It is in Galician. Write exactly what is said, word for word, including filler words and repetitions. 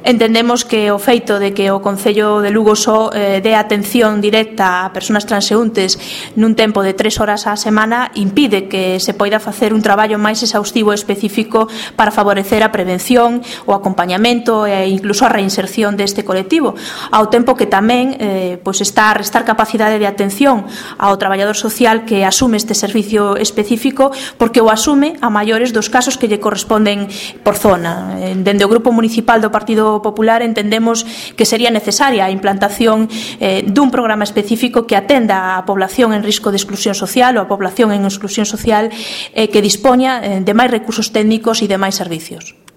Entendemos que o feito de que o Concello de Lugo só eh, dé atención directa a persoas transeúntes nun tempo de tres horas á semana impide que se poida facer un traballo máis exhaustivo e específico para favorecer a prevención, o acompañamento e incluso a reinserción deste colectivo, ao tempo que tamén eh, pois está a restar capacidade de atención ao traballador social que asume este servicio específico, porque o asume a maiores dos casos que lle corresponden por zona. Dende o Grupo Municipal do Partido Popular entendemos que sería necesaria a implantación eh, dun programa específico que atenda á población en risco de exclusión social ou a población en exclusión social eh, que dispoña eh, de máis recursos técnicos e de máis servicios.